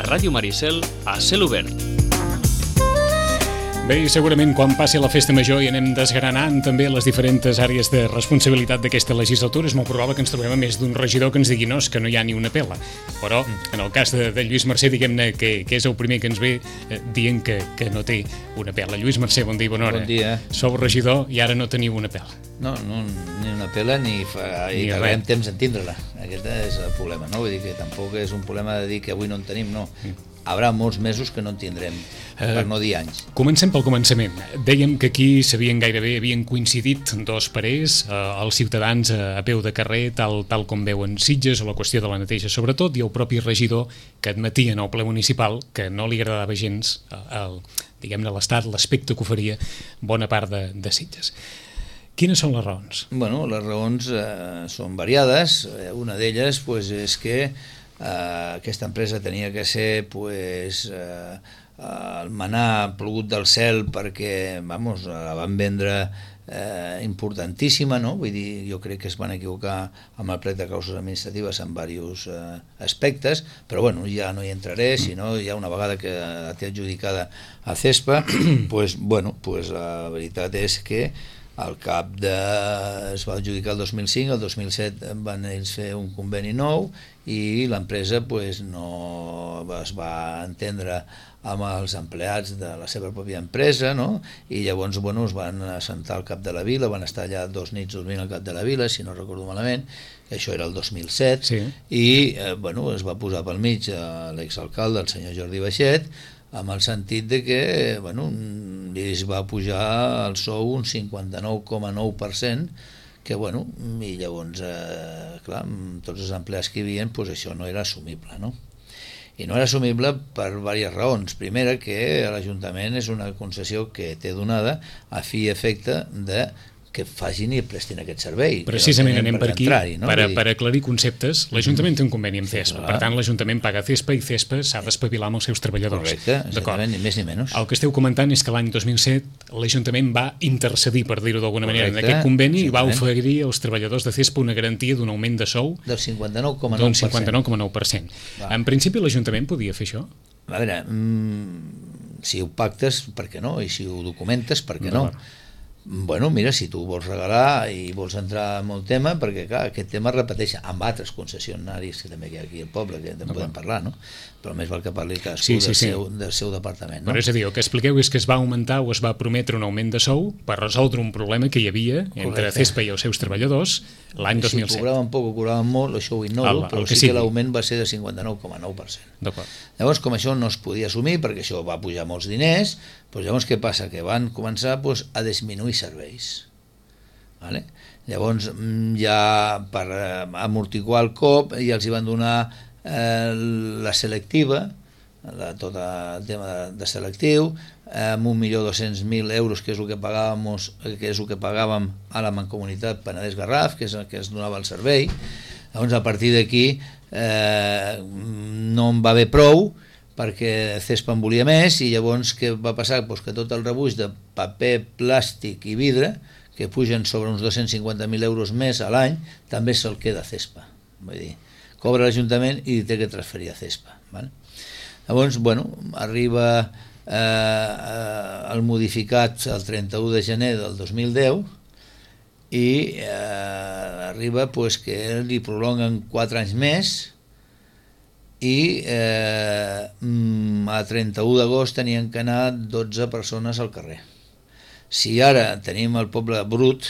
Ràdio Maricel a cel obert. Bé, segurament quan passi la festa major i anem desgranant també les diferents àrees de responsabilitat d'aquesta legislatura, és molt probable que ens trobem a més d'un regidor que ens digui no, és que no hi ha ni una pela. Però en el cas de Lluís Mercè, diguem-ne que és el primer que ens ve dient que no té una pela. Lluís Mercè, bon dia i bona hora. Bon dia. Sou regidor i ara no teniu una pela. No, ni una pela ni tardem temps en tindre-la. Aquest és el problema, no? Vull dir que tampoc és un problema de dir que avui no en tenim, no. Haurà molts mesos que no en tindrem, per no dir anys. Comencem pel començament. Dèiem que aquí havien coincidit dos parers, els ciutadans a peu de carrer, tal com veuen Sitges, o la qüestió de la neteja sobretot, i el propi regidor que admetia en el ple municipal que no li agradava gens diguem-ne l'estat, l'aspecte que oferia bona part de Sitges. Quines són les raons? Bueno, les raons són variades. Una d'elles és que aquesta empresa tenia que ser el manar plogut del cel perquè la van vendre importantíssima, no? Vull dir, jo crec que es van equivocar amb el plec de causes administratives en diversos aspectes, però bueno, ja no hi entraré, sinó ja una vegada que la té adjudicada a CESPA, la veritat és que al cap es va adjudicar el 2005, el 2007 van ells fer un conveni nou i l'empresa no es va entendre amb els empleats de la seva pròpia empresa, no? I llavors es van assentar al cap de la vila, van estar allà 2 nits dormint al cap de la vila, si no recordo malament, això era el 2007, sí. I es va posar pel mig l'exalcalde, el senyor Jordi Baixet, amb el sentit de que es va pujar el sou un 59,9%, que i llavors clar, amb tots els empleats que hi havia, això no era assumible, no? I no era assumible per diverses raons. Primera, que l'Ajuntament és una concessió que té donada a fi i efecte de que facin i prestin aquest servei. Precisament anem per aquí, per aclarir conceptes. L'Ajuntament té un conveni amb CESPA, per tant l'Ajuntament paga CESPA i CESPA s'ha d'espavilar amb els seus treballadors. Correcte, exactament, ni més ni menys. El que esteu comentant és que l'any 2007 l'Ajuntament va intercedir, per dir-ho d'alguna manera, en aquest conveni i va oferir als treballadors de CESPA una garantia d'un augment de sou del 59,9%. En principi l'Ajuntament podia fer això? A veure, si ho pactes, per què no? I si ho documentes, per què no? Mira, si tu vols regalar i vols entrar en el tema, perquè clar, aquest tema es repeteix amb altres concessionaris que també hi ha aquí al poble, que en podem parlar, no? Però més val que parli cadascú del seu departament, no? Però és a dir, el que expliqueu és que es va augmentar o es va prometre un augment de sou per resoldre un problema que hi havia entre CESPA i els seus treballadors l'any 2007. Si cobraven poc o cobraven molt, això ho ignoro, però sí que l'augment va ser de 59,9%. Llavors, com això no es podia assumir, perquè això va pujar molts diners, llavors què passa? Que van començar a disminuir serveis. Llavors, ja per amortiguar el cop, ja els hi van donar la selectiva, tot el tema de selectiu, amb 1.200.000 euros, que és el que pagàvem a la Mancomunitat Penedès Garraf, que és el que es donava el servei. Llavors, a partir d'aquí no en va haver prou, perquè CESPA en volia més, i llavors què va passar? Que tot el rebuig de paper, plàstic i vidre, que pugen sobre uns 250.000 euros més a l'any, també se'l queda CESPA. Vull dir, cobra l'Ajuntament i té que transferir a CESPA. Llavors, arriba el modificat el 31 de gener del 2010 i arriba que li prolonguen 4 anys més i a 31 d'agost tenien que anar 12 persones al carrer. Si ara tenim el poble brut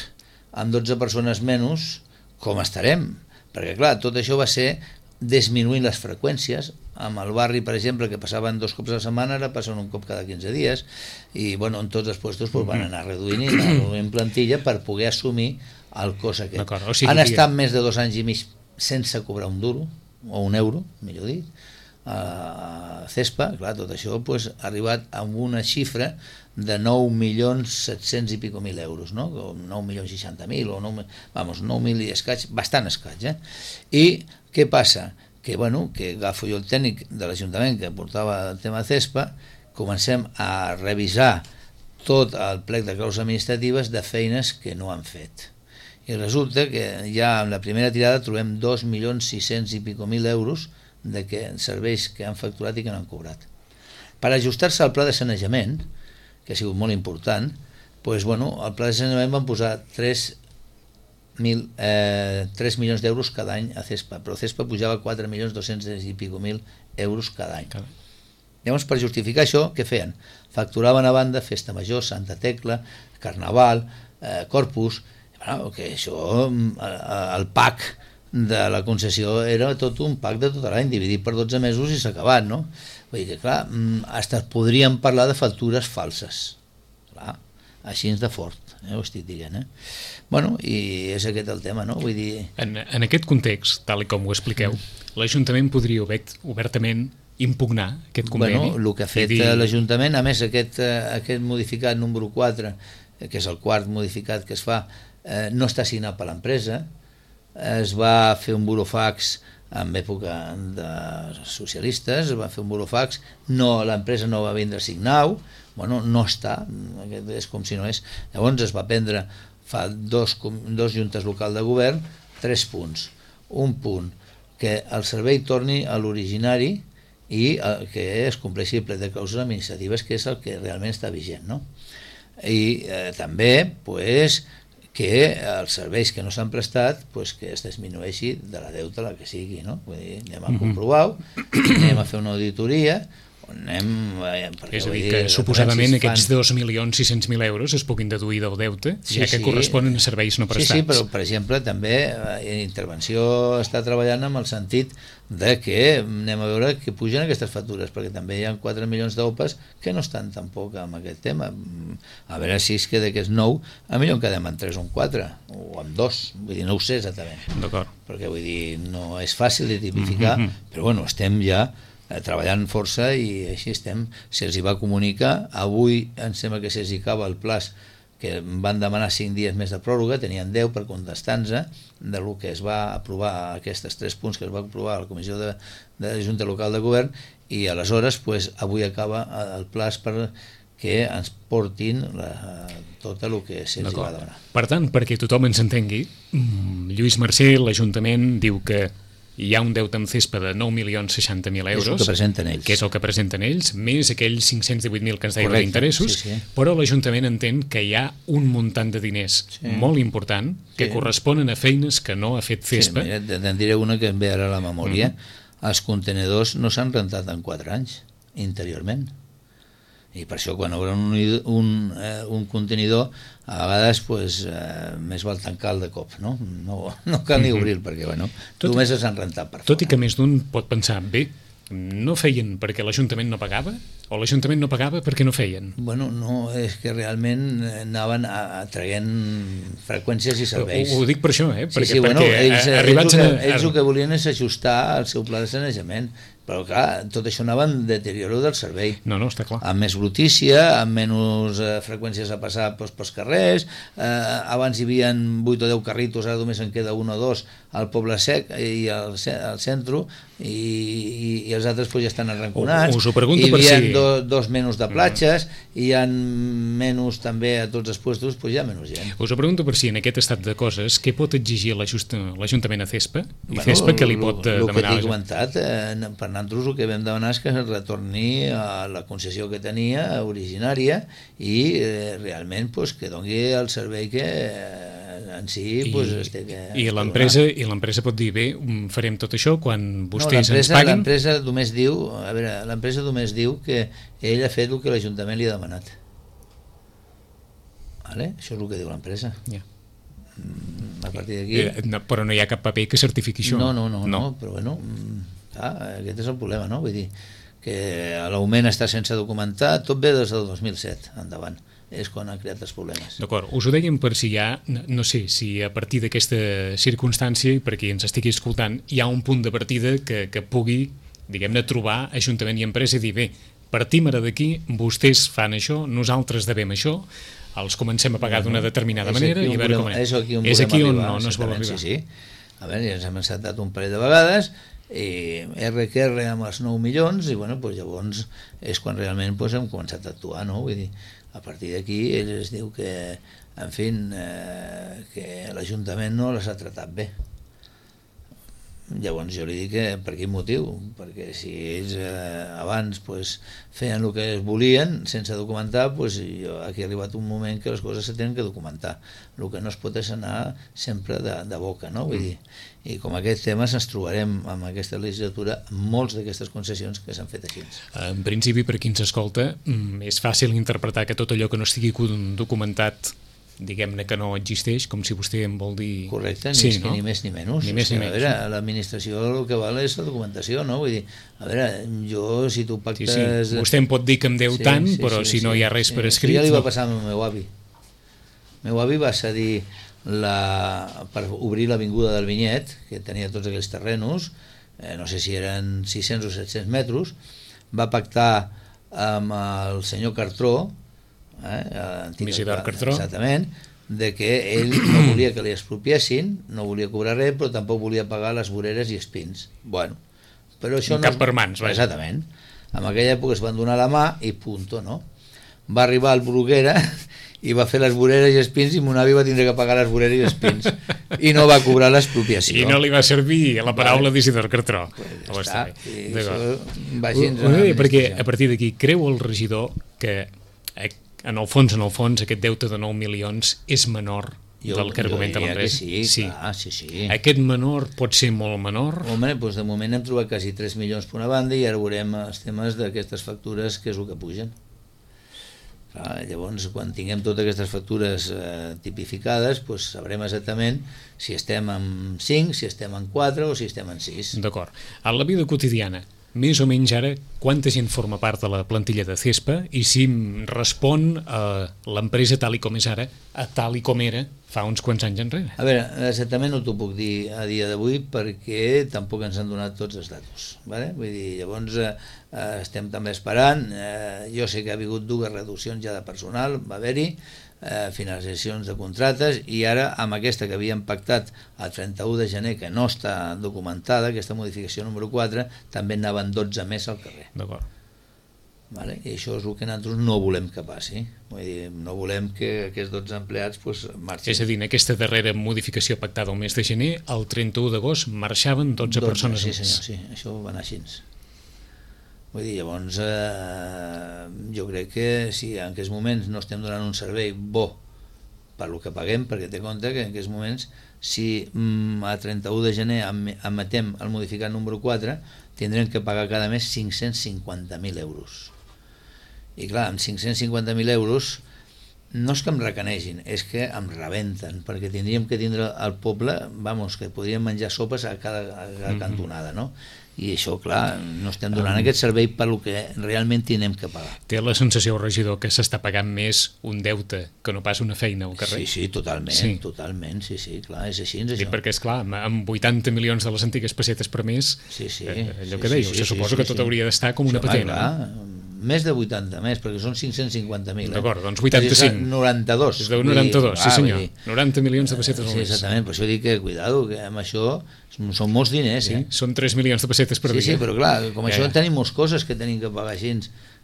amb 12 persones menys, com estarem? Perquè clar, tot això va ser disminuint les freqüències. Amb el barri, per exemple, que passaven 2 cops a la setmana, ara passen un cop cada 15 dies, i en tots els puestos van anar reduint plantilla per poder assumir el cost aquest. Han estat més de 2 anys i mig sense cobrar un duro, o un euro, millor dit, a CESPA. Clar, tot això ha arribat a una xifra de 9.700.000 i pico euros, no? 9.060.000 o 9.000 i escaig, bastant escaig, I què passa? Que agafo jo el tècnic de l'Ajuntament que portava el tema de CESPA, comencem a revisar tot el plec de causes administratives de feines que no han fet. I resulta que ja en la primera tirada trobem 2.600.000 i pico euros de que serveis que han facturat i que no han cobrat. Per ajustar-se al pla de sanejament, que ha sigut molt important, doncs, bueno, al pla de sanejament van posar 3 milions d'euros cada any a CESPA, però CESPA pujava 4.200.000 i pico euros cada any. Llavors, per justificar això, què feien? Facturaven a banda Festa Major, Santa Tecla, Carnaval, Corpus, bueno, que això, el PAC de la concessió era tot un PAC de tot l'any, dividit per 12 mesos i s'ha acabat, no? Vull dir que, clar, fins podríem parlar de factures falses, clar, així de fort, ho estic dient, Bueno, i és aquest el tema, no? Vull dir... En aquest context, tal com ho expliqueu, l'Ajuntament podria obertament impugnar aquest conveni? Bueno, el que ha fet l'Ajuntament, a més aquest modificat número 4, que és el quart modificat que es fa, no està signat per l'empresa, es va fer un burofax en època de socialistes, es va fer un burofax, l'empresa no va vindre a signar-ho, bueno, no està, és com si no és. Llavors es va prendre fa dos juntes locals de govern 3 punts. Un punt, que el servei torni a l'originari i que es compleixi el ple de causes administratives, que és el que realment està vigent, no? I també, pues, que els serveis que no s'han prestat, pues, que es disminueixi de la deuta la que sigui, no? Vull dir, anem a comprovar-ho, anem a fer una auditoria, és a dir, que suposadament aquests 2.600.000 euros es puguin deduir del deute, ja que corresponen a serveis no prestats. Sí, però per exemple també Intervenció està treballant amb el sentit de que anem a veure que pugen aquestes factures, perquè també hi ha 4 milions d'OPAs que no estan tampoc amb aquest tema. A veure si és que d'aquests 9 a millor en quedem en 3 o en 4 o en 2, vull dir, no ho sé exactament, perquè vull dir, no és fàcil de tipificar, però bueno, estem ja treballant força i així estem. Se'ls hi va comunicar, avui em sembla que se'ls hi acaba el plaç, que van demanar 5 dies més de pròrroga, tenien 10 per contestar-nos de lo que es va aprovar, aquests 3 punts que es va aprovar a la Comissió de Junta Local de Govern, i aleshores pues, avui acaba el plaç per que ens portin tot el que se'ls va demanar. Per tant, perquè tothom ens entengui, Lluís Mercè, l'Ajuntament, diu que hi ha un deute amb CESPA de 9.060.000 euros, és el que presenten ells, que és el que presenten ells, més aquells 518.000 que ens deien d'interessos, però l'Ajuntament entén que hi ha un muntant de diners molt important que corresponen a feines que no ha fet CESPA. Sí, mira, te'n diré una que em ve ara a la memòria. Els contenedors no s'han rentat en 4 anys, interiorment. I per això quan obren un contenidor a vegades pues, més val tancar-lo de cop, no cal ni obrir perquè bueno, només s'han rentat per fora. Tot i que més d'un pot pensar, bé, no feien perquè l'Ajuntament no pagava o l'Ajuntament no pagava perquè no feien? Bueno, no, és que realment anaven traient freqüències i serveis. Ho dic per això, perquè bueno, ells el que volien és ajustar el seu pla de sanejament, però clar, tot això anava en deterioro del servei. No, està clar. Amb més brutícia, amb menys freqüències a passar pels carrers, abans hi havia 8 o 10 carritos, ara només en queda 1 o 2 al Poble Sec i al centre, i els altres pues, ja estan arranconats. Us ho pregunto per si... Hi havia 2 menys de platges, i hi ha menys també a tots els puestos, pues, hi ha menys gent. Us ho pregunto per si en aquest estat de coses, què pot exigir l'Ajuntament a CESPA? I CESPA què li pot demanar? El que t'he comentat, per nosaltres el que vam demanar és que es retorni a la concessió que tenia originària i realment pues, que doni el servei que en si pues, i l'empresa pot dir, bé, farem tot això quan vostès ens paguin? L'empresa només diu que ell ha fet el que l'Ajuntament li ha demanat. Vale? Això és el que diu l'empresa. A partir d'aquí... Però no hi ha cap paper que certifiqui això? No, però bueno... aquest és el problema, no? Vull dir que l'augment està sense documentar, tot ve des del 2007 endavant, és quan han creat els problemes. D'acord, us ho dèiem per si hi ha, no sé, si a partir d'aquesta circumstància, i per qui ens estigui escoltant, hi ha un punt de partida que pugui, diguem-ne, trobar Ajuntament i empresa i dir, bé, partim ara d'aquí, vostès fan això, nosaltres devem això, els comencem a pagar d'una determinada manera i a veure com és aquí on no es vol arribar. Sí. A veure, ja ens hem encetat un parell de vegades i RQR amb els 9 milions i bueno, pues llavors és quan realment pues, hem començat a actuar, no? Vull dir, a partir d'aquí ell es diu que en fi, que l'Ajuntament no les ha tratat bé. Llavors jo li dic que per quin motiu, perquè si ells abans feien el que es volien sense documentar, aquí ha arribat un moment que les coses se tenen que documentar. El que no es pot és anar sempre de boca, no? Vull dir, i com aquests temes ens trobarem amb aquesta legislatura molts d'aquestes concessions que s'han fet així. En principi, per qui ens escolta, és fàcil interpretar que tot allò que no estigui documentat, diguem-ne que no existeix, com si vostè en vol dir... Correcte, no? Ni més ni menys. Ni més ni menys. A veure, l'administració el que val és la documentació, no? Vull dir, a veure, jo, si tu pactes... Sí. Vostè em pot dir que em deu tant, però si no hi ha res per escrit... Ja li va passar al meu avi. El meu avi va cedir per obrir l'avinguda del Vinyet, que tenia tots aquells terrenos, no sé si eren 600 o 700 metres, va pactar amb el senyor Cartró, Isidor Cartró, exactament, de que ell no volia que li expropiessin, no volia cobrar res, però tampoc volia pagar les voreres i espins. Bueno, però això cap per mans, vaja. Exactament. En aquella època es van donar la mà i punto, no? Va arribar al Bruguera i va fer les voreres i espins i mon avi va tindre que pagar les voreres i espins i no va cobrar l'expropiació. I no li va servir la paraula d'Isidor Cartró. Està, perquè a partir d'aquí creu el regidor que en el fons, aquest deute de 9 milions és menor del que argumenta l'empresa. Sí. Aquest menor pot ser molt menor? Home, de moment hem trobat quasi 3 milions per una banda i ara veurem els temes d'aquestes factures, que és el que pugen. Llavors, quan tinguem totes aquestes factures tipificades, sabrem exactament si estem en 5, si estem en 4 o si estem en 6. D'acord. A la vida quotidiana, més o menys ara, quanta gent forma part de la plantilla de CESPA i si respon a l'empresa tal i com és ara, a tal i com era fa uns quants anys enrere? A veure, exactament no t'ho puc dir a dia d'avui perquè tampoc ens han donat tots els datos. Vale? Vull dir, llavors estem també esperant. Jo sé que ha hagut 2 reduccions ja de personal, va haver-hi, finalitzacions de contractes, i ara amb aquesta que havíem pactat el 31 de gener, que no està documentada, aquesta modificació número 4, també anaven 12 més al carrer. D'acord. Vale? I això és el que nosaltres no volem que passi. Vull dir, no volem que aquests 12 empleats marxin. És a dir, en aquesta darrera modificació pactada el mes de gener, el 31 d'agost marxaven 12 persones sí, més. Senyor, sí, això va anar així. Vull dir, llavors jo crec que si en aquests moments no estem donant un servei bo per lo que paguem, perquè té compte que en aquests moments si a 31 de gener emetem el modificat número 4 tindrem que pagar cada mes 550.000 euros. I clar, amb 550.000 euros no és que em recanegin, és que em rebenten, perquè tindríem que tindre al poble, que podríem menjar sopes a cada cantonada, no? I això, clar, no estem donant aquest servei per lo que realment tenim que pagar. Té la sensació, regidor, que s'està pagant més un deute que no pas una feina al carrer? Sí, totalment, totalment, sí, clar, és així. Sí, perquè, esclar, amb 80 milions de les antigues pessetes per mes, allò que dèieu, se suposa que tot hauria d'estar com una patena. Clar, més de 80 més, perquè són 550.000. D'acord, doncs 85. 92. És de 92, sí senyor. 90 milions de pessetes al mes. Sí, exactament, per això dic que, cuidado, que amb això són molts diners. Sí, són 3 milions de pessetes per dia. Sí, però clar, com això tenim moltes coses que tenim que pagar així.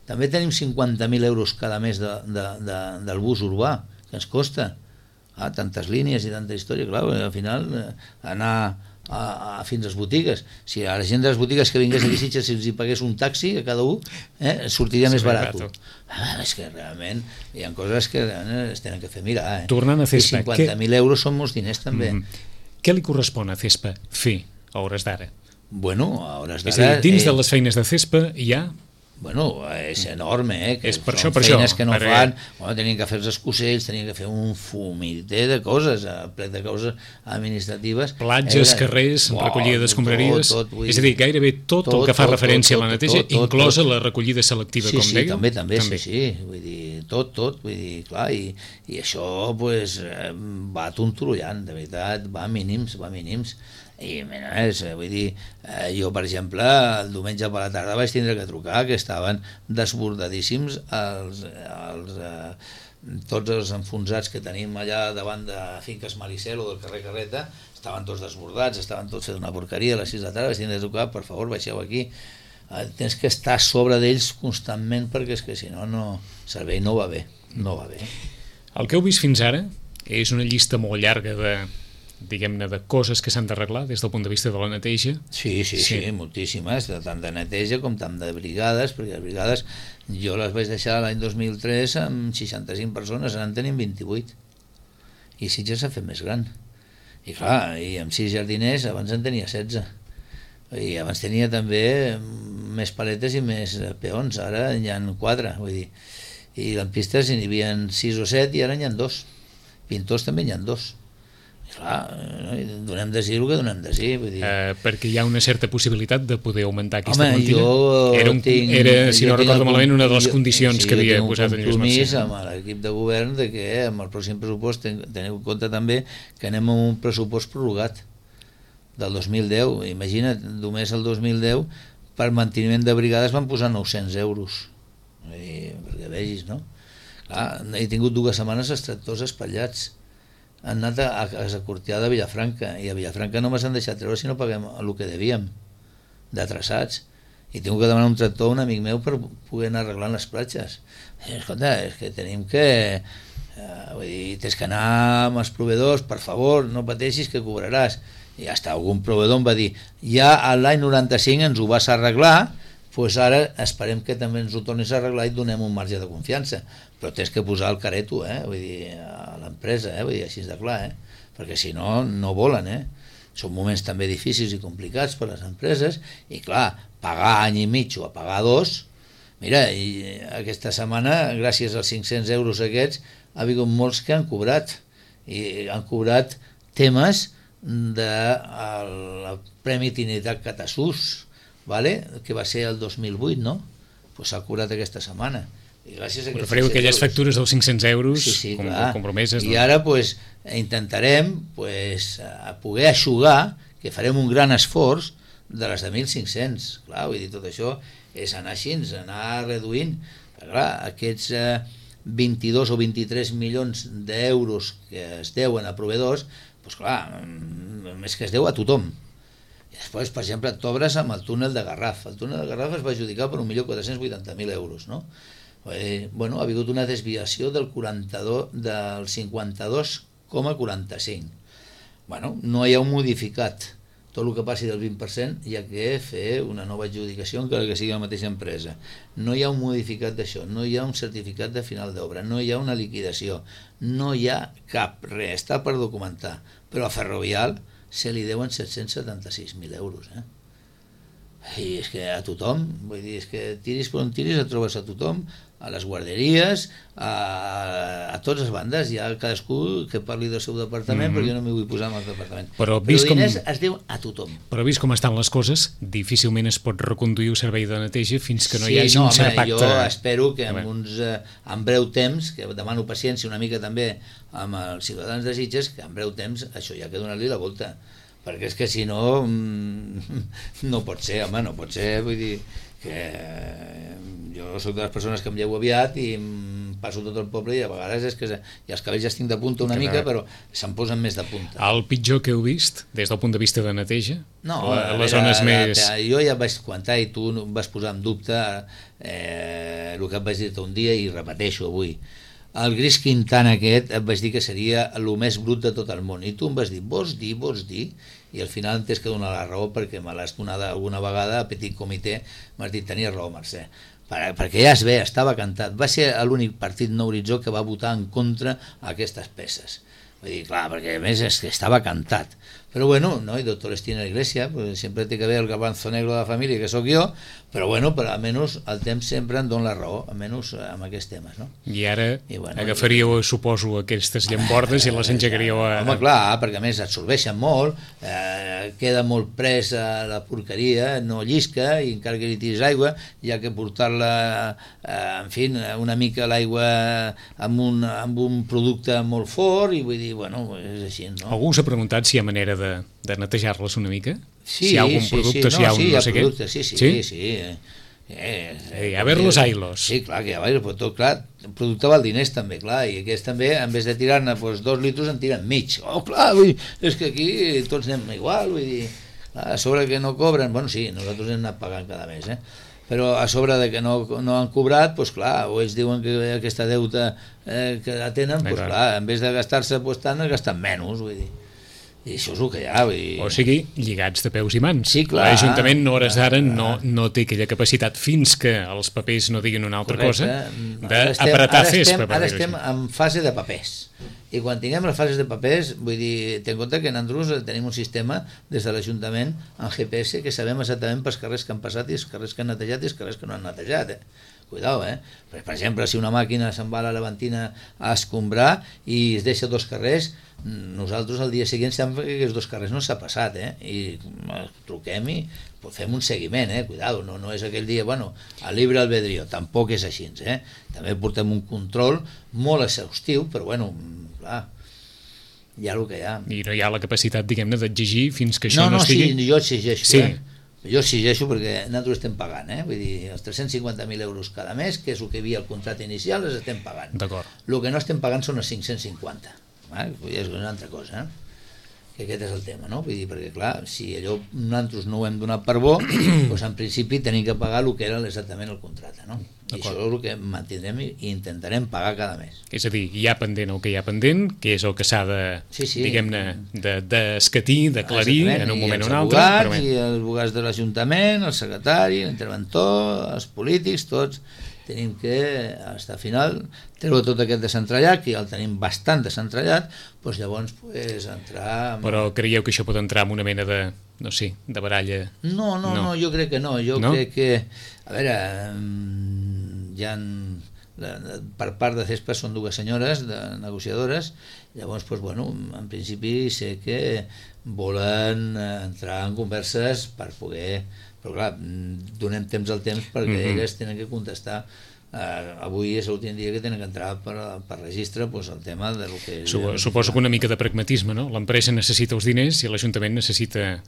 També tenim 50.000 euros cada mes del bus urbà, que ens costa. Tantes línies i tanta història, clar, al final anar fins a les botigues. Si a la gent de les botigues que vingués aquí a Sitges, si els hi pagués un taxi a cada un, sortiria més barat. És que realment hi ha coses que es tenen que fer mirar. Tornant a CESPA, i 50.000 euros són molts diners també. Què li correspon a CESPA fer a hores d'ara? Bueno, a hores d'ara... És a dir, dins de les feines de CESPA hi ha... Bueno, és enorme, que és per són això, feines que no fan. Tenien que fer els escocells, tenien que fer un fumiter de coses, ple de coses administratives. Platges, carrers, recollida d'escombraries... És a dir, gairebé tot el que fa referència a la neteja, inclosa la recollida selectiva, com dèieu? Sí, també, sí. Vull dir, tot, vull dir, clar, i això va tontrollant, de veritat, va a mínims. I vull dir, jo per exemple el diumenge per la tarda vaig tindre que trucar, que estaven desbordadíssims tots els enfonsats que tenim allà davant de Finques Malicel o del carrer Carreta, estaven tots desbordats, estaven tots fent una porqueria a les 6 de la tarda. Vaig tindre que trucar, per favor, baixeu aquí, tens que estar a sobre d'ells constantment, perquè és que si no, el servei no va bé. El que heu vist fins ara és una llista molt llarga diguem-ne, de coses que s'han d'arreglar des del punt de vista de la neteja. Sí, moltíssimes, tant de neteja com tant de brigades, perquè les brigades jo les vaig deixar l'any 2003 amb 65 persones, ara en tenim 28, i Sitges s'ha fet més gran, i clar, i amb 6 jardiners abans en tenia 16, i abans tenia també més paletes i més peons, ara n'hi ha 4, vull dir, i lampistes n'hi havia 6 o 7 i ara n'hi ha 2, pintors també n'hi ha 2. Clar, donem de sí el que donem de sí, vull dir. Perquè hi ha una certa possibilitat de poder augmentar aquesta Home, quantitat. Era, si no recordo malament, una de les condicions que havia posat en Lluís Macià. Amb l'equip de govern de que amb el pròxim pressupost teniu en compte també que anem amb un pressupost prorrogat del 2010. Imagina't, només el 2010 per manteniment de brigades van posar 900 euros. Perquè vegis, no? Clar, he tingut 2 setmanes els tractors espatllats. Han anat a Cortià de Vilafranca, i a Vilafranca no m'han deixat treure si no paguem el que devíem de traçats, i tinc que demanar un tractor a un amic meu per poder anar arreglant les platges. Escolta, és que tenim que vull dir, tens que anar amb els proveïdors, per favor, no pateixis que cobraràs, i hasta algun proveïdor em va dir ja l'any 95 ens ho vas arreglar, doncs ara esperem que també ens ho tornis a arreglar i donem un marge de confiança, però tens que posar el careto, vull dir, a l'empresa, vull dir, així de clar, perquè si no, no volen, Són moments també difícils i complicats per a les empreses, i clar, pagar any i mig o a pagar 2, mira, i aquesta setmana, gràcies als 500 euros aquests, ha hagut molts que han cobrat, i han cobrat temes del Premi Trinitat Catasús, que va ser el 2008, no? Doncs s'ha cobrat aquesta setmana. I gràcies a refereu aquelles factures dels 500 euros compromeses. I ara intentarem poder eixugar, que farem un gran esforç de les de 1.500. Clar, vull dir, tot això és anar així, anar reduint. Clar, aquests 22 o 23 milions d'euros que es deuen a proveïdors, doncs clar, més que es deu a tothom. I després, per exemple, t'obres amb el túnel de Garraf. El túnel de Garraf es va adjudicar per 1.480.000 euros, no? Bueno, ha hagut una desviació del 52,45. Bueno, no hi ha un modificat. Tot el que passi del 20% hi ha que fer una nova adjudicació encara que sigui la mateixa empresa. No hi ha un modificat d'això, no hi ha un certificat de final d'obra, no hi ha una liquidació, no hi ha cap res, està per documentar. Però a Ferrovial se li deuen 776.000 euros, I és que a tothom, vull dir, és que tiris per on tiris et trobes a tothom, a les guarderies, a totes les bandes, hi ha cadascú que parli del seu departament, però jo no m'hi vull posar en el departament. Però diners es deu a tothom. Però vist com estan les coses, difícilment es pot reconduir el servei de neteja fins que no hi hagi un cert pacte. Jo espero que en breu temps, que demano paciència una mica també amb els ciutadans de Sitges, que en breu temps això hi ha que donar-li la volta, perquè és que si no no pot ser, home, no pot ser, vull dir que jo soc de les persones que em llevo aviat i em passo tot el poble i a vegades és que i els cabells ja estic de punta una mica, però se'm posen més de punta. El pitjor que heu vist des del punt de vista de neteja? No, les zones més... Jo ja vaig comentar i tu vas posar en dubte el que et vaig dir un dia i repeteixo avui. El gris Quintana aquest et vaig dir que seria el més brut de tot el món, i tu em vas dir, vols dir, i al final em tens que donar la raó perquè me l'has donada alguna vegada a petit comitè, m'has dit, tenies raó, Mercè, perquè ja es ve, estava cantat, va ser l'únic partit No Horitzó que va votar en contra aquestes peces. Vull dir, clar, perquè a més és que estava cantat. Però bueno, no, i doctor estima la iglesia, pues sempre té que haver el garbanzo negro de la família, que sóc jo, però bueno, però almenys el temps sempre em dona la raó, almenys amb aquests temes, no? I ara agafaríeu, suposo, aquestes llambordes i les engegaríeu a... Home, clar, perquè a més absorbeixen molt, queda molt pres a la porqueria, no llisca, i encara que li tiris aigua, hi ha que portar-la, en fi, una mica l'aigua amb un producte molt fort, i vull dir, bueno, és així, no? Algú s'ha preguntat si hi ha manera de netejar-les una mica? Sí, si hi ha algun producte, si hi ha un no sé què? Sí. A ver los ailos. Sí, clar, que hi ha ailos, però tot, clar, el producte val diners també, clar, i aquests també, en vez de tirar-ne 2 litres, en tiren mig. Oh, clar, és que aquí tots anem igual, vull dir, a sobre que no cobren, bueno, sí, nosaltres hem anat pagant cada mes, però a sobre de que no han cobrat, doncs clar, o ells diuen que aquesta deuta que la tenen, doncs clar, en vez de gastar-se tant, es gasten menys, vull dir. I això és el que hi ha. O sigui, lligats de peus i mans. Sí, clar. L'Ajuntament, a hores d'ara, no té aquella capacitat, fins que els papers no diguin una altra cosa, d'apretar FESPA. Ara estem en fase de papers. I quan tinguem les fases de papers, vull dir, ten en compte que en Andrús tenim un sistema des de l'Ajuntament en GPS que sabem exactament pels carrers que han passat i els carrers que han netejat i els carrers que no han netejat. Cuidao, Per exemple, si una màquina se'n va a la Levantina a escombrar i es deixa 2 carrers, nosaltres el dia següent sabem que aquests 2 carrers no s'ha passat, i truquem i fem un seguiment, cuidado, no és aquell dia, a libre albedrío, tampoc és així, també portem un control molt exhaustiu, però clar, hi ha el que hi ha. I no hi ha la capacitat, diguem-ne, d'exigir fins que això no estigui... Sí, jo exigeixo, sí. Jo exigeixo perquè nosaltres estem pagant, vull dir, els 350.000 euros cada mes, que és el que hi havia al contracte inicial, els estem pagant. D'acord. El que no estem pagant són els 550, és una altra cosa, que aquest és el tema, no? Vull dir, perquè clar, si allò nosaltres no ho hem donat per bo, doncs en principi tenim que pagar el que era exactament el contracte, no? I això és el que mantindrem i intentarem pagar cada mes. És a dir, hi ha pendent el que hi ha pendent, que és el que s'ha de, diguem-ne, d'escatir, d'aclarir en un moment o un altre. I els advocats de l'Ajuntament, el secretari, l'interventor, els polítics, tots tenim que, fins al final, treure tot aquest desentrellat, que ja el tenim bastant desentrellat, doncs llavors entrar... Però creieu que això pot entrar en una mena de, no sé, de baralla? No, jo crec que no. Jo crec que, a veure, hi ha... Per part de CESPA són 2 senyores negociadores, llavors, en principi sé que volen entrar en converses per poder... Però clar, donem temps al temps perquè elles tenen que contestar. Avui és l'últim dia que tenen que entrar per registre el tema del que... Suposo que una mica de pragmatisme, no? L'empresa necessita els diners i l'Ajuntament necessita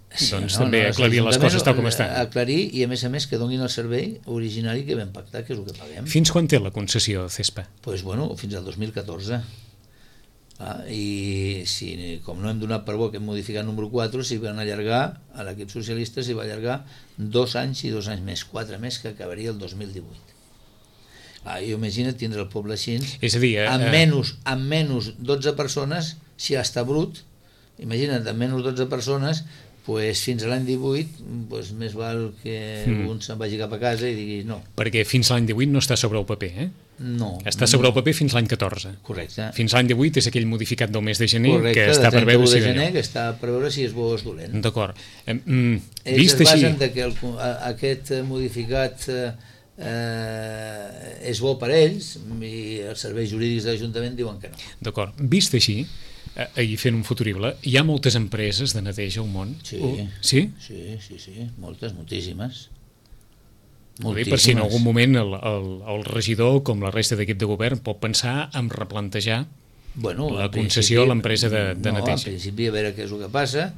també aclarir les coses tal com estan. Aclarir i a més que donin el servei originari que vam pactar, que és el que paguem. Fins quan té la concessió CESPA? Doncs fins al 2014. I com no hem donat per bo aquest modificat número 4, s'hi van allargar, a l'equip socialista s'hi va allargar 2 anys i 2 anys més, 4 més, que acabaria el 2018. Jo imagina't tindre el poble així, és a dir, amb menys 12 persones, si està brut, imagina't, amb menys 12 persones, fins a l'any 18 més val que un se'n vagi cap a casa i digui no. Perquè fins a l'any 18 no està sobre el paper, No. Està sobre el paper fins l'any 14. Correcte. Fins l'any 18 és aquell modificat del mes de gener que està per veure si... que està per veure si és bo o és dolent. D'acord. Ells es basen que aquest modificat és bo per ells i els serveis jurídics de l'Ajuntament diuen que no. D'acord. Vist així, ahir fent un futurible, hi ha moltes empreses de neteja al món? Sí. Sí? Sí, moltes, moltíssimes. Per si en algun moment el regidor, com la resta d'equip de govern, pot pensar en replantejar la concessió a l'empresa de neteja. En principi, a veure què és el que passa.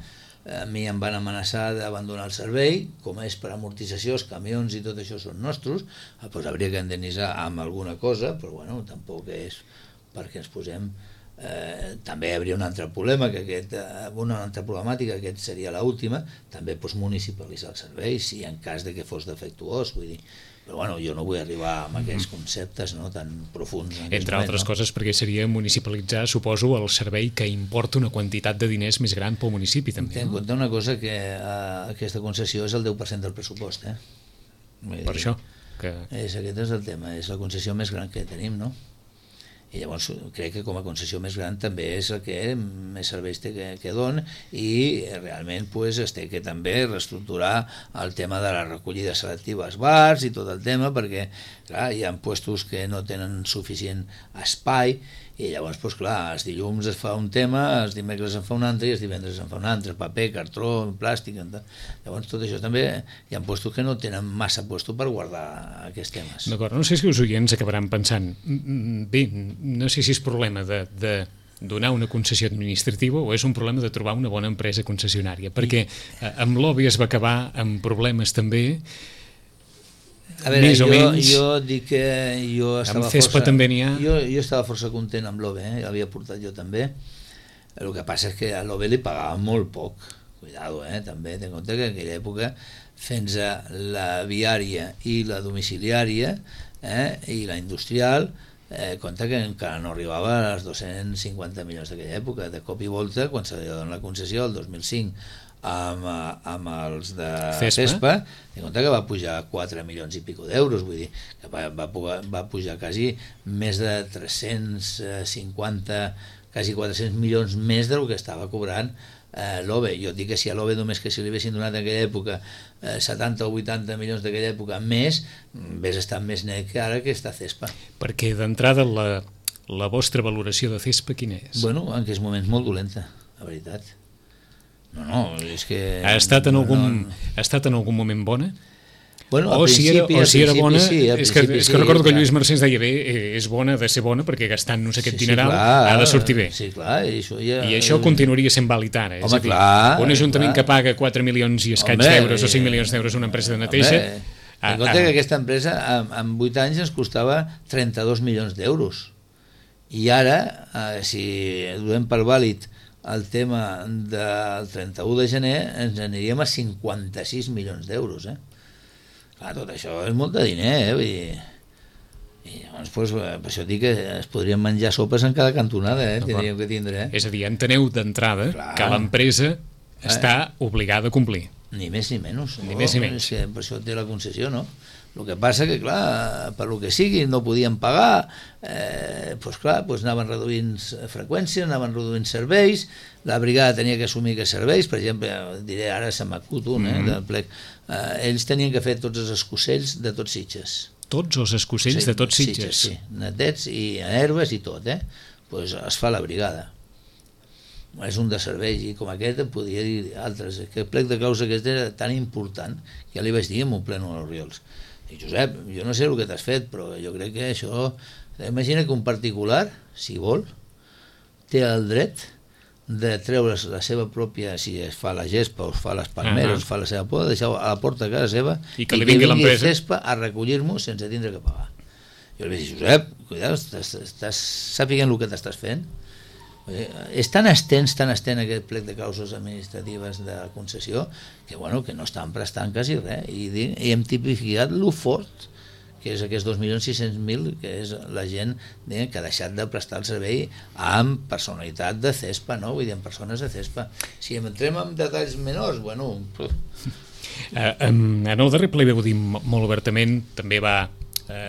A mi em van amenaçar d'abandonar el servei, com és per amortització, els camions i tot això són nostres, doncs hauria que indemnitzar amb alguna cosa, però tampoc és perquè ens posem... també hi hauria un altre problema, una altra problemàtica, que seria l'última, també municipalitzar el servei, si en cas de que fos defectuós, vull dir, però jo no vull arribar amb aquests conceptes tan profuns. Entre altres coses, perquè seria municipalitzar, suposo, el servei que importa una quantitat de diners més gran pel municipi, també. Ten en compte una cosa, que aquesta concessió és el 10% del pressupost, Per això. Aquest és el tema, és la concessió més gran que tenim, no? I llavors crec que com a concessió més gran també és el que més serveis té que dona i realment es té que també reestructurar el tema de la recollida selectiva als bars i tot el tema, perquè clar, hi ha puestos que no tenen suficient espai i llavors els dilluns es fa un tema, els dimecres en fa un altre i els divendres en fa un altre, paper, cartró, plàstic, llavors tot això també hi ha puestos que no tenen massa puesto per guardar aquests temes. D'acord, no sé si els oients acabaran pensant bé, no sé si és problema de donar una concessió administrativa o és un problema de trobar una bona empresa concessionària, perquè amb l'OBI es va acabar amb problemes també. A veure, jo dic que jo estava força... també n'hi ha... Jo estava força content amb l'OBE, l'havia portat jo també. El que passa és que a l'OBE li pagava molt poc. Cuidado, també, ten en compte que en aquella època fins a la viària i la domiciliària i la industrial compte que encara no arribava als 250 milions d'aquella època. De cop i volta, quan se li dona la concessió el 2005 amb els de CESPA, de compte que va pujar 4 milions i pico d'euros, vull dir que va pujar quasi més de 350, quasi 400 milions més del que estava cobrant l'OVE. Jo dic que si a l'OVE només que si li haguessin donat en aquella època 70 o 80 milions d'aquella època més, hauria estat més net que ara que està CESPA. Perquè d'entrada la vostra valoració de CESPA quina és? Bueno, en aquests moments molt dolenta, la veritat. No, és que... Ha estat en algun moment bona? Bueno, o si era bona, sí, és que recordo que Lluís Mercè ens deia bé, és bona, ha de ser bona perquè gastant-nos aquest dineral ha de sortir bé. Sí, clar, i això continuaria sent vàlid ara. És a dir, un ajuntament que paga 4 milions i escaig d'euros o 5 milions d'euros a una empresa de neteja... En compte que aquesta empresa en 8 anys ens costava 32 milions d'euros. I ara, si donem per vàlid el tema del 31 de gener, ens aniríem a 56 milions d'euros, Clar, tot això és molt de diner, vull dir... I llavors, per això dic que es podrien menjar sopes en cada cantonada, tindríem que tindre. És a dir, enteneu d'entrada que l'empresa està obligada a complir. Ni més ni menys. Ni més ni menys. És que per això té la concessió, no? El que passa que, clar, per lo que sigui, no podien pagar, doncs anaven reduint freqüències, anaven reduint serveis, la brigada tenia que assumir aquests serveis, per exemple, diré ara se m'acut un, del plec, ells tenien que fer tots els escossells de tots Sitges. Tots els escossells de tots Sitges? Sí, netets i herbes i tot, Doncs es fa la brigada. És un de serveis, i com aquest en podria dir altres. Aquest plec de causa aquest era tan important que ja li vaig dir en un pleno a l'Oriols. I Josep, jo no sé el que t'has fet, però jo crec que això... Imagina que un particular, si vol, té el dret de treure's la seva pròpia, si es fa la gespa o es fa les palmeres, es fa la seva poda, deixar a la porta de casa seva i que li vingui l'empresa CESPA a recollir-m'ho sense tindre que pagar. Jo li vaig dir, Josep, cuidado, estàs sapiguent el que t'estàs fent? És tan extens aquest plec de causes administratives de concessió que, bueno, que no estan prestant quasi res, i hem tipificat lo fort que és aquests 2.600.000, que és la gent que ha deixat de prestar el servei amb personalitat de CESPA, no? Vull dir, amb persones de CESPA. Si entrem en detalls menors, bueno... En el darrer ple vau dir molt obertament, també va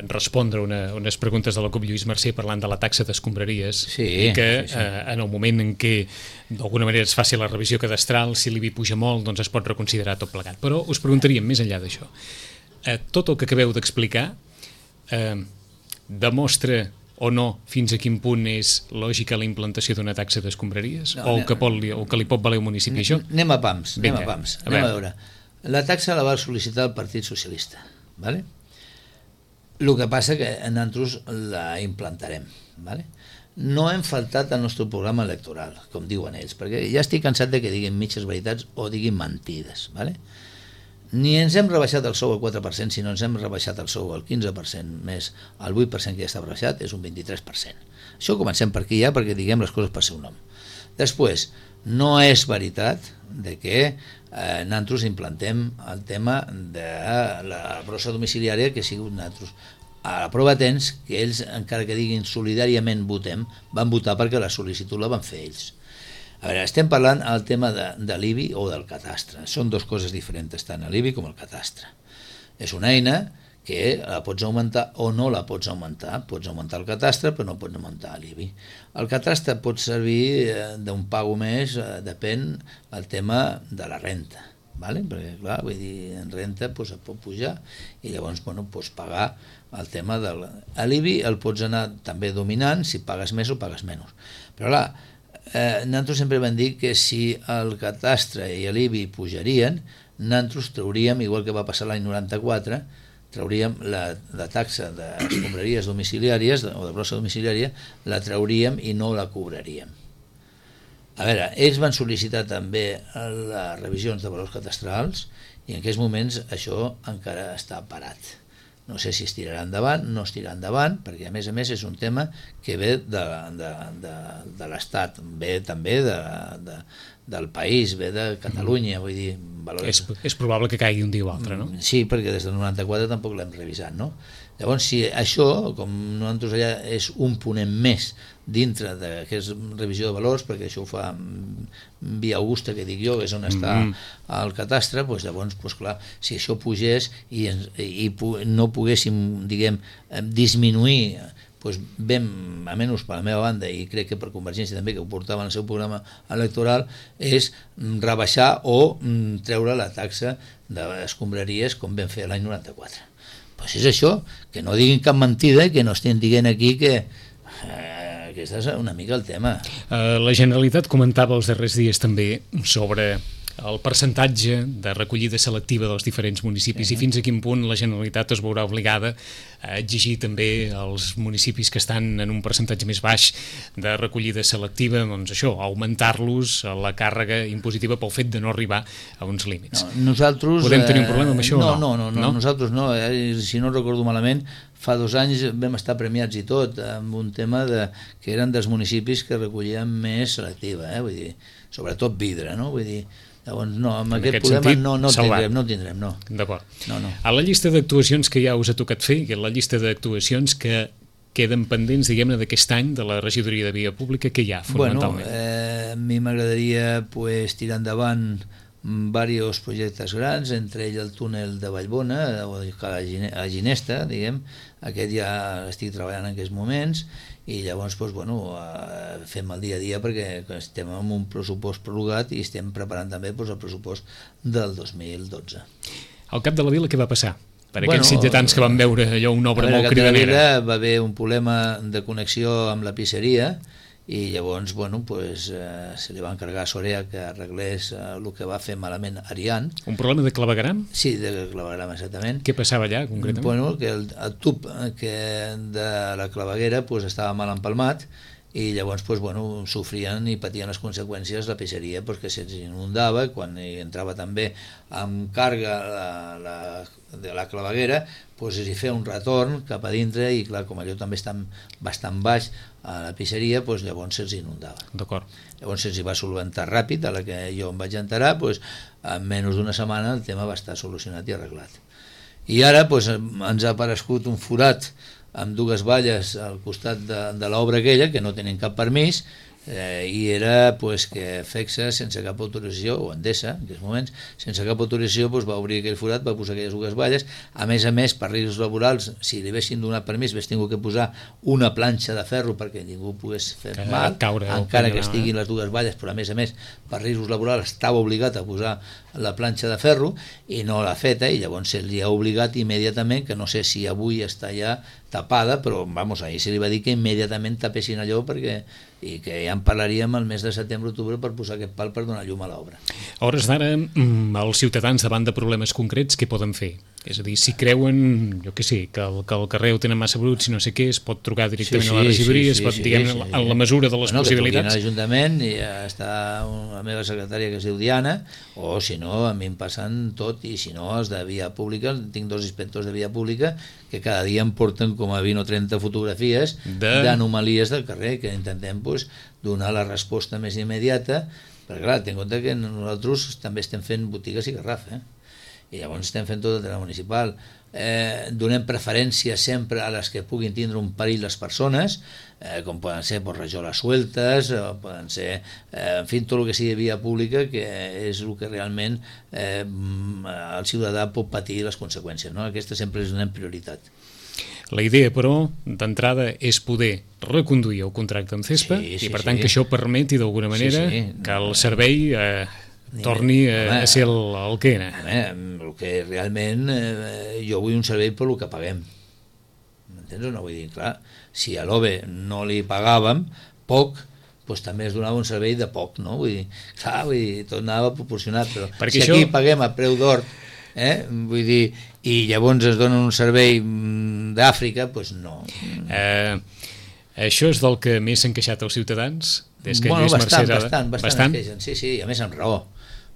respondre unes preguntes de la CUP Lluís Mercè parlant de la taxa d'escombraries, i que en el moment en què d'alguna manera es faci la revisió cadastral, si l'IBI puja molt, doncs es pot reconsiderar tot plegat. Però us preguntaríem més enllà d'això. Tot el que acabeu d'explicar demostra o no fins a quin punt és lògica la implantació d'una taxa d'escombraries, o que li pot valer un municipi això? Anem a pams, anem a veure. La taxa la va sol·licitar el Partit Socialista, ¿vale? El que passa que nosaltres la implantarem, ¿vale? No hem faltat al nostre programa electoral, com diuen ells, perquè ja estic cansat de que diguin mitges veritats o diguin mentides, ¿vale? Ni ens hem rebaixat el sou al 4%, sinó ens hem rebaixat el sou al 15%, més el 8% que ja està rebaixat, és un 23%. Això comencem per aquí ja, perquè diguem les coses per seu nom. Després, no és veritat de que nosaltres implantem el tema de la brossa domiciliària que ha sigut nosaltres. A la prova tens que ells, encara que diguin solidàriament votem, van votar perquè la sol·licitud la van fer ells. A veure, estem parlant del tema de l'IBI o del catastre. Són dues coses diferents, tant l'IBI com el catastre. És una eina que la pots augmentar o no la pots augmentar. Pots augmentar el catastre, però no pots augmentar l'IBI. El catastre pot servir d'un pago més, depèn del tema de la renta, ¿vale? Perquè, clar, vull dir, en renta pues, et pot pujar i llavors pots pagar el tema de l'IBI, el pots anar també dominant si pagues més o pagues menys. Però clar, nosaltres sempre vam dir que si el catastre i l'IBI pujarien, nosaltres trauríem, igual que va passar l'any 94, trauríem la taxa d'escombraries domiciliàries o de brossa domiciliària, la trauríem i no la cobraríem. A veure, ells van sol·licitar també les revisions de valors cadastrals i en aquests moments això encara està parat. No sé si es tirarà endavant, no es tirarà endavant, perquè a més és un tema que ve de l'Estat, ve també del país, ve de Catalunya, vull dir, valors... És probable que caigui un dia o altre, no? Sí, perquè des del 94 tampoc l'hem revisat, no? Llavors, si això, com nosaltres allà és un ponent més dintre d'aquesta revisió de valors, perquè això ho fa Via Augusta, que dic jo, que és on està el catastre, doncs llavors, clar, si això pugés i no poguéssim, diguem, disminuir, doncs ben, almenys per la meva banda, i crec que per Convergència també, que ho portava en el seu programa electoral, és rebaixar o treure la taxa d'escombraries com vam fer l'any 94. Doncs és això, que no diguin cap mentida i que no estem dient aquí que aquest és una mica el tema. La Generalitat comentava els darrers dies també sobre el percentatge de recollida selectiva dels diferents municipis i fins a quin punt la Generalitat es veurà obligada a exigir també als municipis que estan en un percentatge més baix de recollida selectiva, doncs això, augmentar-los la càrrega impositiva pel fet de no arribar a uns límits. Nosaltres... Podem tenir un problema amb això o no? No, nosaltres no. Si no recordo malament, fa 2 anys vam estar premiats i tot amb un tema que eren dels municipis que recollien més selectiva, vull dir, sobretot vidre, no? Vull dir, llavors no, amb aquest problema no tindrem, no. D'acord. No. A la llista d'actuacions que ja us ha tocat fer, que la llista d'actuacions que queden pendents, diguem-ne, d'aquest any de la regidoria de Via Pública, que hi ha, fonamentalment? A mi m'agradaria tirar endavant diversos projectes grans, entre ells el túnel de Vallbona, a Ginesta, diguem, aquest ja estic treballant en aquests moments, i llavors fem el dia a dia perquè estem amb un pressupost prorrogat i estem preparant també el pressupost del 2012. Al cap de la vila què va passar? Per aquells sitgetans que van veure allò una obra molt cridanera. Va haver un problema de connexió amb la pisseria i llavors se li va encargar a Sorea que arreglés el que va fer malament Arián. Un problema de clavegueram? Sí, de clavegueram, exactament. Què passava allà, concretament? Que el tub de la claveguera estava mal empalmat i llavors sofrien i patien les conseqüències la peixeria que se'ls inundava, quan hi entrava també amb càrrega de la claveguera hi feia un retorn cap a dintre i clar, com allò també està bastant baix a la peixeria, llavors se'ls inundava. D'acord. Llavors se'ls va solventar ràpid, a la que jo em vaig enterar, en menys d'una setmana el tema va estar solucionat i arreglat. I ara ens ha aparegut un forat amb 2 valles al costat de l'obra aquella, que no tenen cap permís, i era que FECSA, sense cap autorització, o Endesa, en aquests moments, sense cap autorització, va obrir aquell forat, va posar aquelles 2 valles. A més, per riscos laborals, si li haguessin donat permís, hagués tingut que posar una planxa de ferro perquè ningú pogués fer mal, encara que estiguin les 2 valles, però a més, per riscos laborals estava obligat a posar la planxa de ferro i no l'ha feta, i llavors se li ha obligat immediatament, que no sé si avui està ja tapada, però ahir se li va dir que immediatament tapessin allò i que ja en parlaríem el mes de setembre-octubre per posar aquest pal per donar llum a l'obra. A hores d'ara, els ciutadans davant de problemes concrets, què poden fer? És a dir, si creuen, jo què sé, que el carrer ho tenen massa brut, si no sé què, es pot trucar directament a la regidoria, es pot, diguem, en la mesura de les possibilitats. Que truquin a l'Ajuntament i està la meva secretària que es diu Diana, o si no, a mi em passen tot, i si no, els de Via Pública, tinc 2 inspectors de Via Pública que cada dia em porten com a 20 o 30 fotografies d'anomalies del carrer, que intentem donar la resposta més immediata, perquè clar, ten en compte que nosaltres també estem fent botigues i garraf, i llavors estem fent tot el tema municipal. Donem preferència sempre a les que puguin tindre un perill les persones, com poden ser rajoles sueltes, poden ser, en fi, tot el que sigui via pública, que és el que realment el ciutadà pot patir les conseqüències, no? Aquesta sempre és donem prioritat. La idea, però, d'entrada és poder reconduir el contracte amb CESPA i, per tant, que això permeti d'alguna manera que el servei torni a ser el que era. El que realment jo vull un servei per el que paguem. M'entens o no? Vull dir, clar, si a l'OVE no li pagàvem poc, doncs també es donava un servei de poc, no? Vull dir, clar, tot anava proporcionat, però si aquí paguem a preu d'or, vull dir, i llavors es donen un servei d'Àfrica, doncs no. Això és del que més s'han queixat els ciutadans? Des que Lluís Mercè... Bastant es queixen, sí, a més amb raó.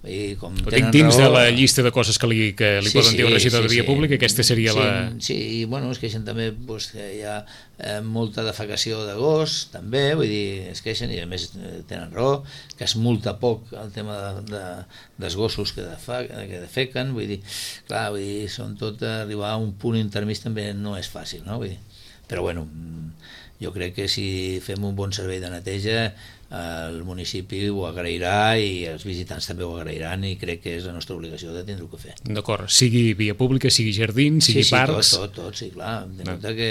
I com dic dins de la llista de coses que li poden dir un regidor de via pública, aquesta seria la... Sí, i bueno, es queixen també pues, que hi ha molta defecació de gos, també, vull dir, es queixen i a més tenen raó, que es multa poc el tema dels gossos que defequen, vull dir, clar, vull dir, són tot arribar a un punt intermig també no és fàcil, no? Vull dir, però bueno, jo crec que si fem un bon servei de neteja el municipi ho agrairà i els visitants també ho agrairan i crec que és la nostra obligació de tindre-ho que fer. D'acord, sigui via pública, sigui jardins, sigui parcs... Sí, tot, sí, clar. De compte que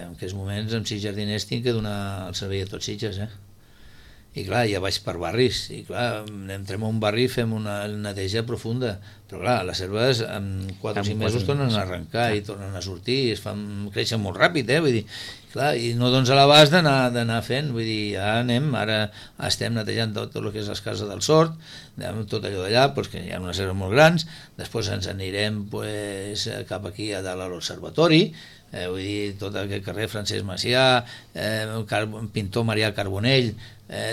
en aquests moments amb 6 jardiners tinc que donar el servei a tots Sitges, I clar, ja vaig per barris, i clar, entrem a un barri i fem una neteja profunda, però clar, les herbes en 4 o 5 mesos tornen a arrencar i tornen a sortir, creixen molt ràpid, vull dir, clar, i no dones a l'abast d'anar fent, vull dir, ja anem, ara estem netejant tot el que és les cases del Sort, tot allò d'allà, doncs, que hi ha unes herbes molt grans, després ens anirem pues, cap aquí a dalt a l'Observatori, vull dir, tot aquest carrer Francesc Macià, pintor Marià Carbonell,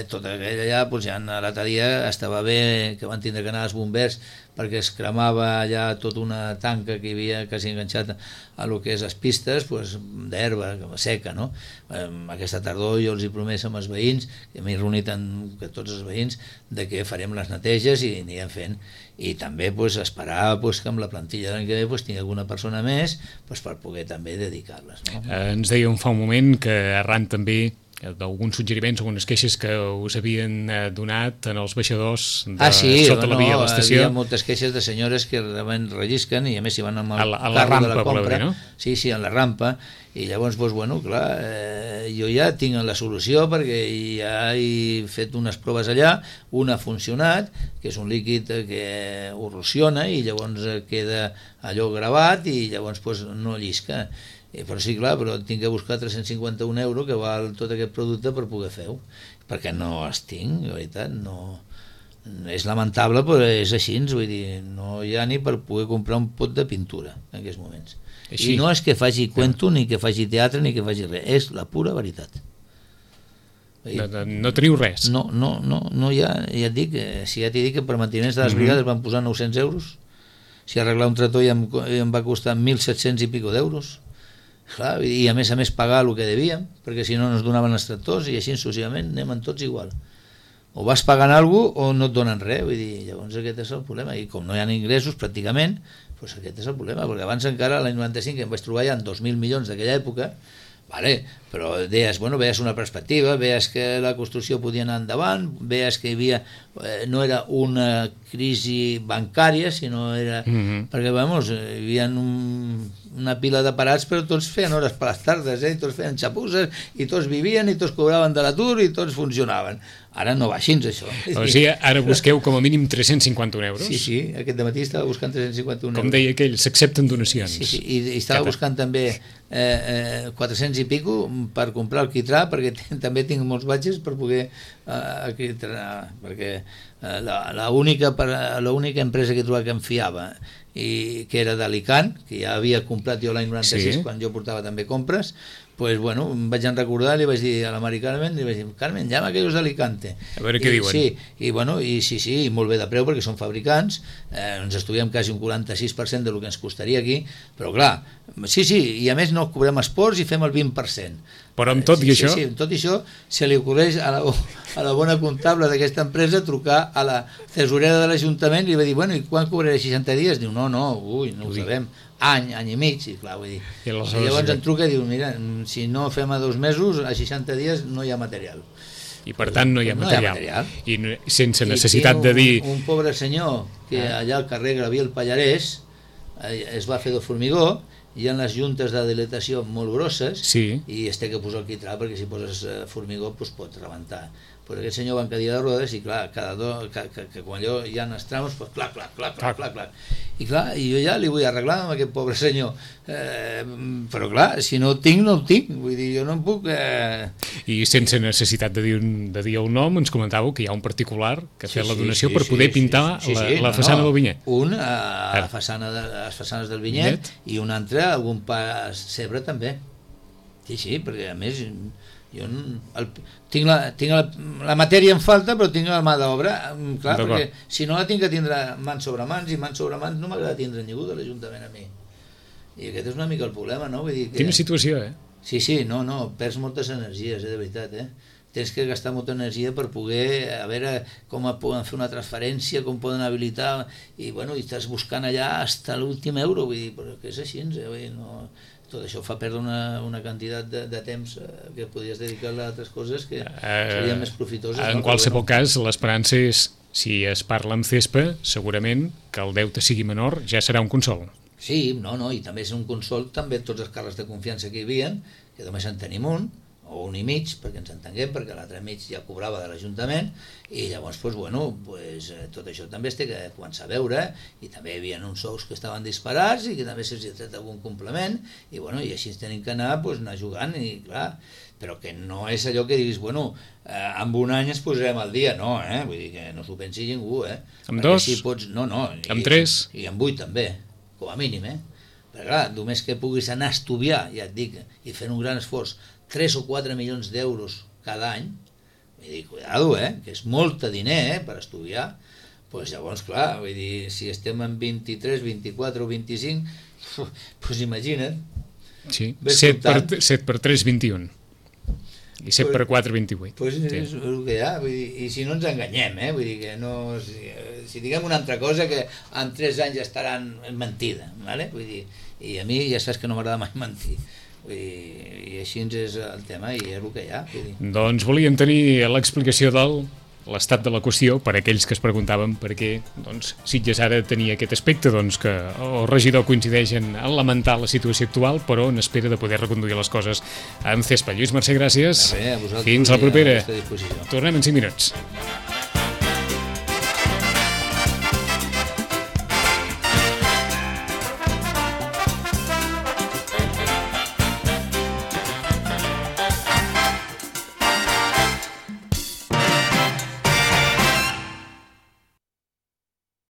tot aquell allà, doncs ja l'altre dia estava bé que van tindre que anar els bombers perquè es cremava allà tota una tanca que hi havia quasi enganxat a lo que és les pistes, doncs, d'herba seca, no? Aquesta tardor jo els he promès amb els veïns, que m'he reunit amb tots els veïns, de que farem les neteges i anirem fent, i també doncs, esperar doncs, que amb la plantilla de l'any que ve doncs, tingui alguna persona més doncs, per poder també dedicar-les, no? Ens dèiem fa un moment que arran també d'alguns suggeriments, algunes queixes que us havien donat en els baixadors sota la via a l'estació. Hi havia moltes queixes de senyores que realment rellisquen i a més hi van amb el a la rampa, de la compra, no? Sí, a la rampa, i llavors, doncs, bueno, clar, jo ja tinc la solució perquè ja he fet unes proves allà, una ha funcionat, que és un líquid que erosiona i llavors queda allò gravat i llavors doncs, no llisca. Però sí, clar, però tinc que buscar 351 euros que val tot aquest producte per poder fer-ho, perquè no els tinc, de veritat, no... És lamentable, però és així, vull dir, no hi ha ni per poder comprar un pot de pintura en aquests moments. Així. I no és que faci cuento, ni que faci teatre, ni que faci res, és la pura veritat. No teniu res? No hi ha, ja et dic, si ja t'he dit que per manteniments de les brigades van posar 900 euros, si arreglar un tractor ja em va costar 1.700 i pico d'euros, clar, i a més pagar el que devíem, perquè si no ens donaven els tractors i així successivament anem tots igual, o vas pagant alguna cosa o no et donen res, vull dir, llavors aquest és el problema, i com no hi ha ingressos pràcticament, doncs aquest és el problema, perquè abans encara l'any 95 em vaig trobar ja en 2.000 milions d'aquella època, vale, però deies, bueno, veies una perspectiva, veies que la construcció podia anar endavant, veies que hi havia, no era una crisi bancària, sinó era, perquè, vamos, hi havia una pila de parats, però tots feien hores per les tardes, i tots feien xapusses, i tots vivien, i tots cobraven de l'atur, i tots funcionaven. Ara no va així, això. O sigui, ara busqueu com a mínim 351 euros? Sí, aquest dematí estava buscant 351 euros. Com deia aquell, s'accepten donacions. Sí, i estava buscant també 400 i pico per comprar el quitrà, perquè també tinc molts batxes per poder quitrà, perquè l'única empresa que he trobat que em fiava i que era d'Alicant, que ja havia comprat jo l'any 96 quan jo portava també compres, pues bueno, em vaig recordar, li vaig dir a la Mari Carmen, li vaig dir, Carmen, llama aquellos d'Alicante. A veure què diuen. Sí, i bueno, i sí, molt bé de preu perquè són fabricants, ens estudiem quasi un 46% del que ens costaria aquí, però clar, sí, i a més no cobrem esports i fem el 20%. Però amb tot i això... Sí, amb tot i això se li ocorreix a la bona comptable d'aquesta empresa trucar a la tesorera de l'Ajuntament i li va dir, bueno, i quan cobraré 60 dies? Diu, no ho sabem, any i mig, i clar, vull dir. I llavors em truca i diu, mira, si no fem a 2 mesos, a 60 dies no hi ha material. I per tant no hi ha material. I sense necessitat de dir... Un pobre senyor que allà al carrer Gabriel Pallarès es va fer de formigó, hi ha les juntes de dilatació molt grosses i es té que posar el quitrà perquè si poses formigó pot rebentar. Però aquest senyor va en cadira de rodes i clar, que quan allò hi ha els tramos, clac. I clar, jo ja li vull arreglar amb aquest pobre senyor. Però clar, si no ho tinc, no ho tinc. Vull dir, jo no em puc... I sense necessitat de dir el nom, ens comentàveu que hi ha un particular que ha fet la donació per poder pintar la façana del Vinyet. Un a les façanes del Vinyet i un altre a algun pas Cebre també. Sí, perquè a més... Jo tinc la matèria en falta, però tinc la mà d'obra, clar, perquè si no la tinc que tindre mans sobre mans, i mans sobre mans no m'agrada tindre ningú de l'Ajuntament a mi. I aquest és una mica el problema, no? Vull dir que... Quina situació, Sí, no, perds moltes energies, de veritat, Tens que gastar molta energia per poder, a veure com poden fer una transferència, com poden habilitar, i bueno, i estàs buscant allà fins l'últim euro, vull dir, però que és així, vull dir, no... Tot això fa perdre una quantitat de temps que podries dedicar a altres coses que serien més profitoses. En qualsevol cas, l'esperança és, si es parla amb CESPA, segurament que el deute sigui menor, ja serà un consol. Sí, i també és un consol, també tots els càrrecs de confiança que hi havia, que només en tenim un, o un i mig, perquè ens entenguem, perquè l'altre mig ja cobrava de l'Ajuntament, i llavors, tot això també es té que començar a veure, i també hi havia uns sous que estaven disparats, i que també se'ls ha tret algun complement, i així ens tenim que anar jugant, i clar, però que no és allò que diguis, en un any ens posarem al dia, no, vull dir que no s'ho pensi ningú, Amb dos? Si pots, no, amb tres? I amb 8 també, com a mínim, perquè clar, només que puguis anar a estudiar, ja et dic, i fent un gran esforç, 3 o 4 milions d'euros cada any, vull dir, cuidado, que és molt de diner per estudiar, doncs llavors, clar, vull dir, si estem en 23, 24 o 25, doncs imagina't. Sí, 7 per 3, 21. I 7 per 4, 28. Doncs és el que hi ha, vull dir, i si no ens enganyem, vull dir que no... Si diguem una altra cosa, que en 3 anys estaran mentida, ¿vale? Vull dir, i a mi ja saps que no m'agrada mai mentir. I així és el tema i és el que hi ha. Doncs volíem tenir l'explicació de l'estat de la qüestió per a aquells que es preguntaven per què Sitges ara tenia aquest aspecte, que el regidor coincideix en lamentar la situació actual, però en espera de poder reconduir les coses amb CESPA. Lluís Mercè, gràcies. A vosaltres. Fins la propera. A vostra disposició. Tornem en 5 minuts.